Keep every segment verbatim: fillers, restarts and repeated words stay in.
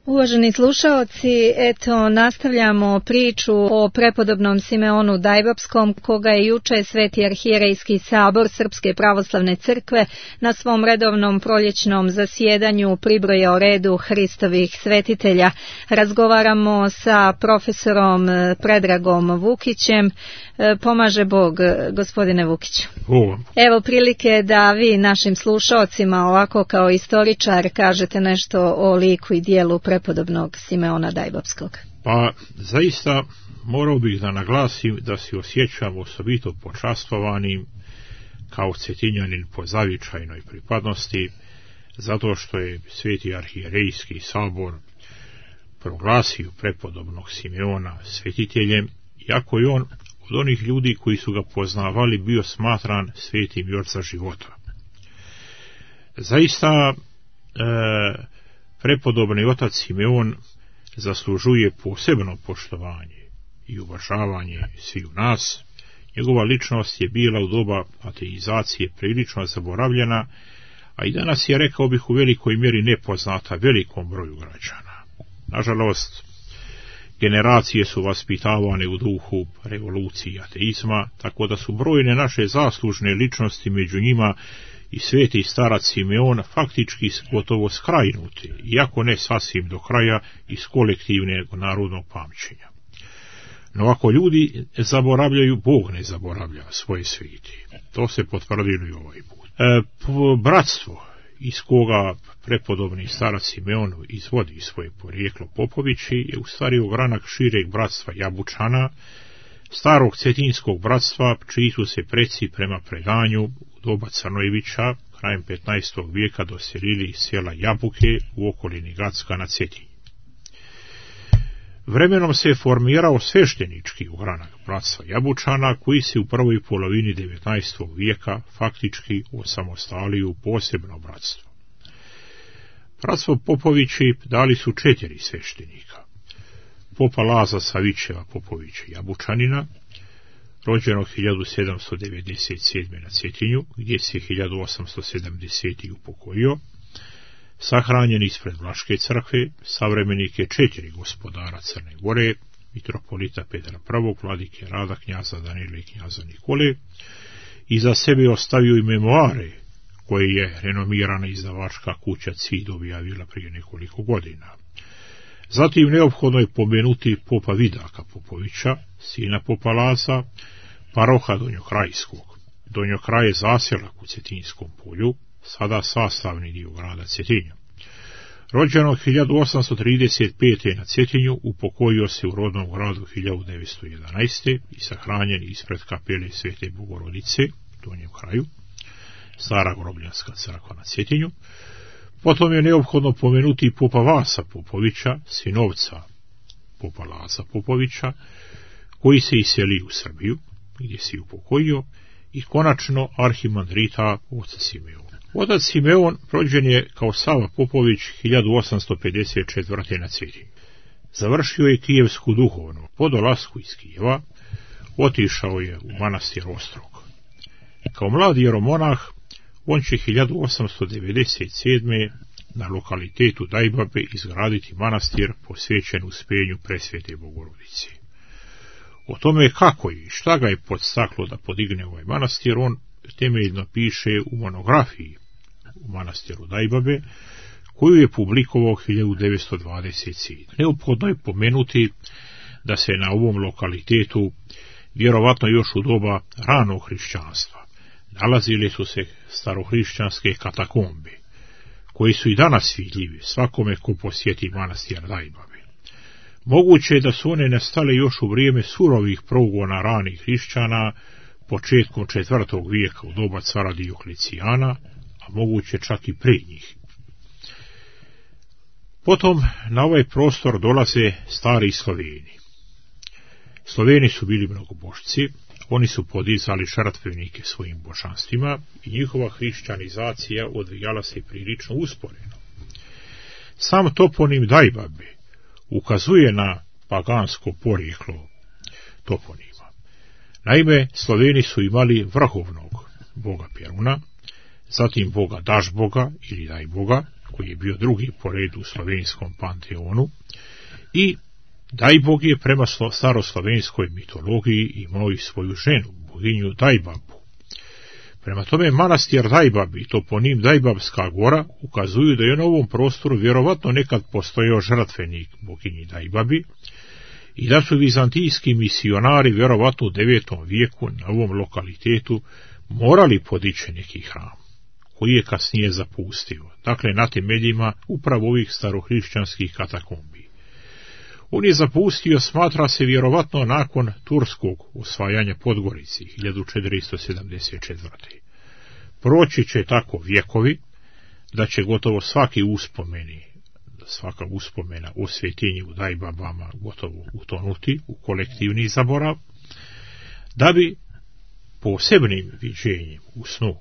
Uvaženi slušaoci, eto nastavljamo priču o prepodobnom Simeonu Dajbapskom, koga je juče Sveti arhijerejski sabor Srpske pravoslavne crkve na svom redovnom proljećnom zasjedanju pribrojao redu Hristovih svetitelja. Razgovaramo sa profesorom Predragom Vukićem. Pomaže Bog, gospodine Vukiću. O. Evo prilike da vi našim slušaocima ovako kao istoričar kažete nešto o liku i dijelu prepodobnog Simeona Dajbapskog. Pa zaista morao bih da naglasim da se osjećam osobito počastvovanim kao Cetinjanin po zavičajnoj pripadnosti, zato što je Sveti arhijerejski sabor proglasio prepodobnog Simeona svetiteljem, iako je on od onih ljudi koji su ga poznavali bio smatran svetim još za života. Zaista e, prepodobni otac Simeon zaslužuje posebno poštovanje i uvažavanje svih nas. Njegova ličnost je bila u doba ateizacije prilično zaboravljena, a i danas je, rekao bih, u velikoj mjeri nepoznata velikom broju građana. Nažalost, generacije su vaspitavane u duhu revolucije i ateizma, tako da su brojne naše zaslužne ličnosti, među njima i sveti starac Simeon, faktički gotovo skrajnuti, iako ne sasvim do kraja, iz kolektivnog narodnog pamćenja. No ako ljudi zaboravljaju, Bog ne zaboravlja svoje sveti. To se potvrdilo i ovaj put. E, bratstvo iz koga prepodobni starac Simeon izvodi svoje porijeklo Popovići je u stvari ogranak šireg bratstva Jabučana, starog cetinskog bratstva, čiji su se preci prema predanju u doba Crnojevića krajem petnaestog vijeka doselili iz sela Jabuke u okolini Gacka na Cetinju. Vremenom se je formirao sveštenički ogranak bratstva Jabučana, koji se u prvoj polovini devetnaestog vijeka faktički osamostalio u posebno bratstvo. Bratstvo Popovići dali su četiri sveštenika. Popa Laza Savićeva Popovića Jabučanina, rođenog hiljadu sedamsto devedeset sedme na Cetinju, gdje se hiljadu osamsto sedamdesete upokojio, sahranjen ispred Vlaške crkve, savremenik je četiri gospodara Crne Gore, mitropolita Petra prvog, vladike Rada, knjaza Danila i knjaza Nikole, i za sebe ostavio i memoare koje je renomirana izdavačka kuća Cid objavila prije nekoliko godina. Zatim neophodno je pomenuti popa Vidaka Popovića, sina popa Laza, paroha Donjokrajskog. Donjokraj je zaselak u Cetinjskom polju, sada sastavni dio grada Cetinja. Rođeno hiljadu osamsto trideset pete na Cetinju, upokojio se u rodnom gradu hiljadu devetsto jedanaeste i sahranjen ispred kapele Svete Bogorodice u Donjem kraju, stara grobljanska crkva na Cetinju. Potom je neophodno pomenuti popa Vasa Popovića, sinovca popa Laza Popovića, koji se iseli u Srbiju, gdje se upokojio, i konačno arhimandrita oca Simeona. Otac Simeon rođen je kao Sava Popović hiljadu osamsto pedeset četvrte na Cetinju. Završio je kijevsku duhovnu. Po dolasku iz Kijeva otišao je u manastir Ostrog. Kao mladi jeromonah on će hiljadu osamsto devedeset sedme na lokalitetu Dajbabe izgraditi manastir posvećen uspenju Presvete Bogorodice. O tome kako i šta ga je podstaklo da podigne ovaj manastir, on temeljno piše u monografiji u manastiru Dajbabe, koju je publikovao hiljadu devetsto dvadeset sedme. Neophodno je pomenuti da se na ovom lokalitetu, vjerovatno još u doba ranog hrišćanstva, nalazile su se starohrišćanske katakombe, koji su i danas vidljivi svakome ko posjeti manastir Dajbabe. Moguće je da su one nastale još u vrijeme surovih progona ranih hrišćana, početkom četvrtog vijeka u doba cara Dioklecijana, a moguće čak i prije njih. Potom na ovaj prostor dolaze stari Sloveni. Sloveni su bili mnogobošci, oni su podizali žrtvenike svojim božanstvima i njihova hrišćanizacija odvijala se prilično usporeno. Sam toponim Dajbabe ukazuje na pagansko porijeklo toponima. Naime, Sloveni su imali vrhovnog boga Peruna, zatim boga Dažboga ili Dajboga, koji je bio drugi po redu u slovenskom panteonu, i Dajbog je prema staroslovenskoj mitologiji imao i svoju ženu, boginju Dajbabu. Prema tome, manastir Dajbab i toponim Dajbabska gora ukazuju da je na ovom prostoru vjerovatno nekad postojao žrtvenik boginji Dajbabi i da su vizantijski misionari vjerovatno u devetom vijeku na ovom lokalitetu morali podići neki hram, koji je kasnije zapustio, dakle na temeljima upravo ovih starohrišćanskih katakombi. On je zapustio, smatra se, vjerovatno nakon turskog osvajanja Podgorici hiljadu četiristo sedamdeset četvrte. Proći će tako vjekovi da će gotovo svaki uspomeni, svaka uspomena o svetinji u Dajbabama gotovo utonuti u kolektivni zaborav, da bi posebnim viđenjem u snu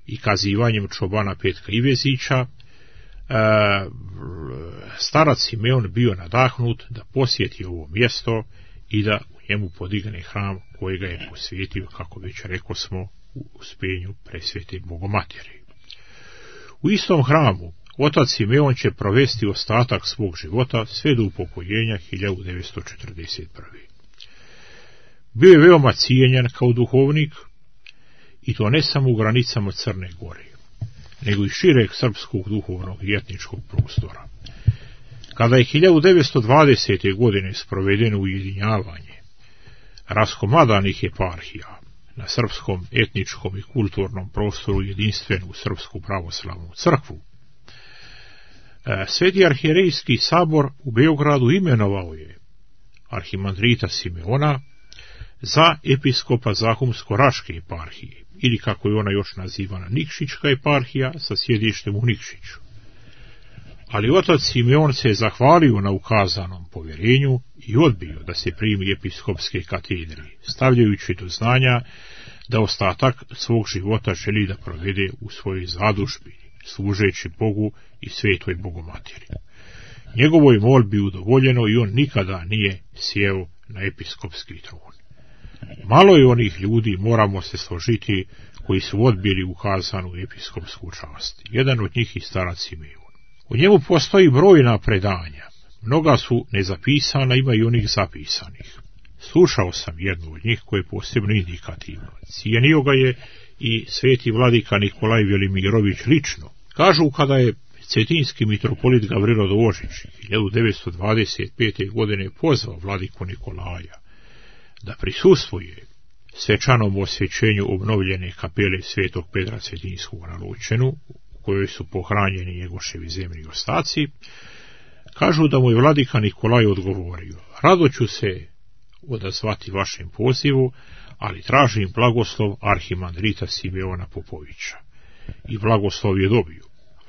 i kazivanjem čobana Petka Ivezića starac Simeon bio nadahnut da posjeti ovo mjesto i da u njemu podigne hram kojega je posvetio, kako već rekao smo, u uspenju presvete Bogomateri. U istom hramu otac Simeon će provesti ostatak svog života sve do upokojenja hiljadu devetsto četrdeset prve. Bio je veoma cijenjen kao duhovnik, i to ne samo u granicama Crne Gore, nego i šireg srpskog duhovnog i etničkog prostora. Kada je hiljadu devetsto dvadesete godine sprovedeno ujedinjavanje raskomadanih eparhija na srpskom etničkom i kulturnom prostoru jedinstvenu Srpsku pravoslavnu crkvu, Sveti arhijerejski sabor u Beogradu imenovao je arhimandrita Simeona za episkopa Zahumsko-Raške eparhije, ili kako je ona još nazivana Nikšićka eparhija sa sjedištem u Nikšiću. Ali otac Simeon se je zahvalio na ukazanom povjerenju i odbio da se primi episkopske katedre, stavljajući do znanja da ostatak svog života želi da provede u svojoj zadužbini, služeći Bogu i svetoj Bogomateri. Njegovoj molbi udovoljeno i on nikada nije sjeo na episkopski tron. Malo je onih ljudi, moramo se složiti, koji su odbili ukazanu episkopsku čast. Jedan od njih i starac Simeon. U njemu postoji brojna predanja. Mnoga su nezapisana, ima i onih zapisanih. Slušao sam jednu od njih koje je posebno indikativno. Cijenio ga je i sveti vladika Nikolaj Velimirović lično. Kažu, kada je cetinski mitropolit Gavrilo Dožić hiljadu devetsto dvadeset pete. godine pozvao vladiku Nikolaja da prisustvuje svečanom osvećenju obnovljene kapele svetog Petra Cetinskog na Lučenu, u kojoj su pohranjeni njegoševi zemni ostaci, kažu da mu je vladika Nikolaj odgovorio: rado ću se odazvati vašem pozivu, ali tražim blagoslov arhimandrita Simeona Popovića. I blagoslov je dobio.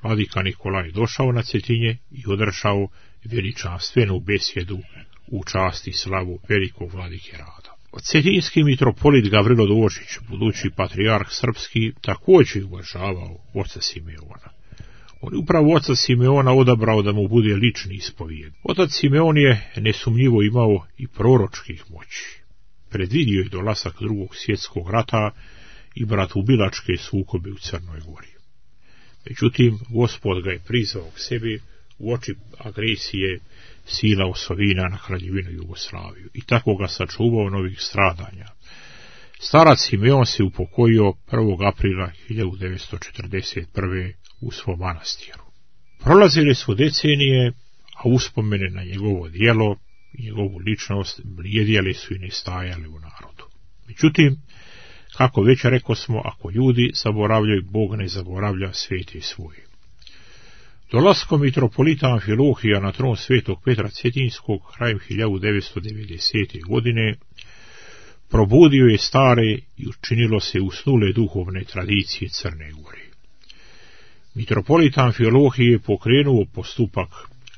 Vladika Nikolaj došao na Cetinje i održao veličanstvenu besjedu u čast i slavu velikog vladike Rada. Cetinski mitropolit Gavrilo Dožić, budući patrijarh srpski, također uvažavao oca Simeona. On je upravo oca Simeona odabrao da mu bude lični ispovijed. Otac Simeon je nesumnjivo imao i proročkih moći. Predvidio je dolazak drugog svjetskog rata i bratoubilačke sukobe u Crnoj Gori. Međutim, Gospod ga je prizvao k sebi u oči agresije sila osovina na Kraljevinu Jugoslaviju i tako ga sačuvao novih stradanja. Starac Simeon se upokojio prvog aprila hiljadu devetsto četrdeset prve. u svom manastiru. Prolazile su decenije, a uspomene na njegovo djelo i njegovu ličnost bljedjeli su i nestajali u narodu. Međutim, kako već rekao smo, ako ljudi zaboravljaju, Bog ne zaboravlja svete svoje. Dolaskom mitropolita Amfilohija na tron svetog Petra Cetinskog krajem hiljadu devetsto devedesete. godine probudio je stare i učinilo se usnule duhovne tradicije Crne Gore. Mitropolit Amfilohije je pokrenuo postupak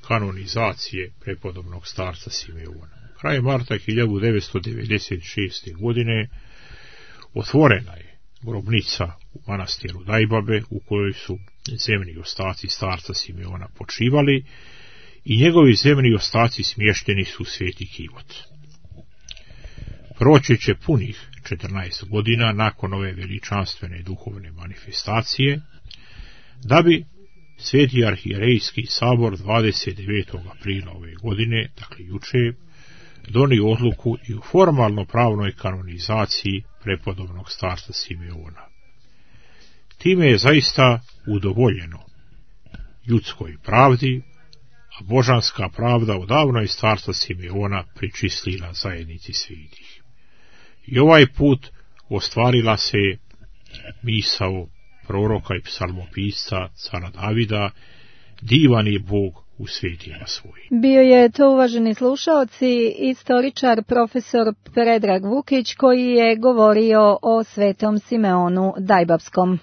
kanonizacije prepodobnog starca Simeona. Krajem marta hiljadu devetsto devedeset šeste. godine otvorena je grobnica u manastiru Dajbabe, u kojoj su zemni ostaci starca Simeona počivali i njegovi zemni ostaci smješteni su u Sveti Kivot. Proći će punih četrnaest godina nakon ove veličanstvene duhovne manifestacije, da bi Sveti arhijerejski sabor dvadeset devetog aprila ove godine, dakle juče, donio odluku i u formalno pravnoj kanonizaciji prepodobnog starca Simeona. Time je zaista udovoljeno ljudskoj pravdi, a božanska pravda odavno je starca Simeona pričistila zajednici svetih. I ovaj put ostvarila se misao proroka i psalmopisca cara Davida: divan je Bog u svetima svojim. Bio je to, uvaženi slušaoci, istoričar profesor Predrag Vukić, koji je govorio o svetom Simeonu Dajbapskom.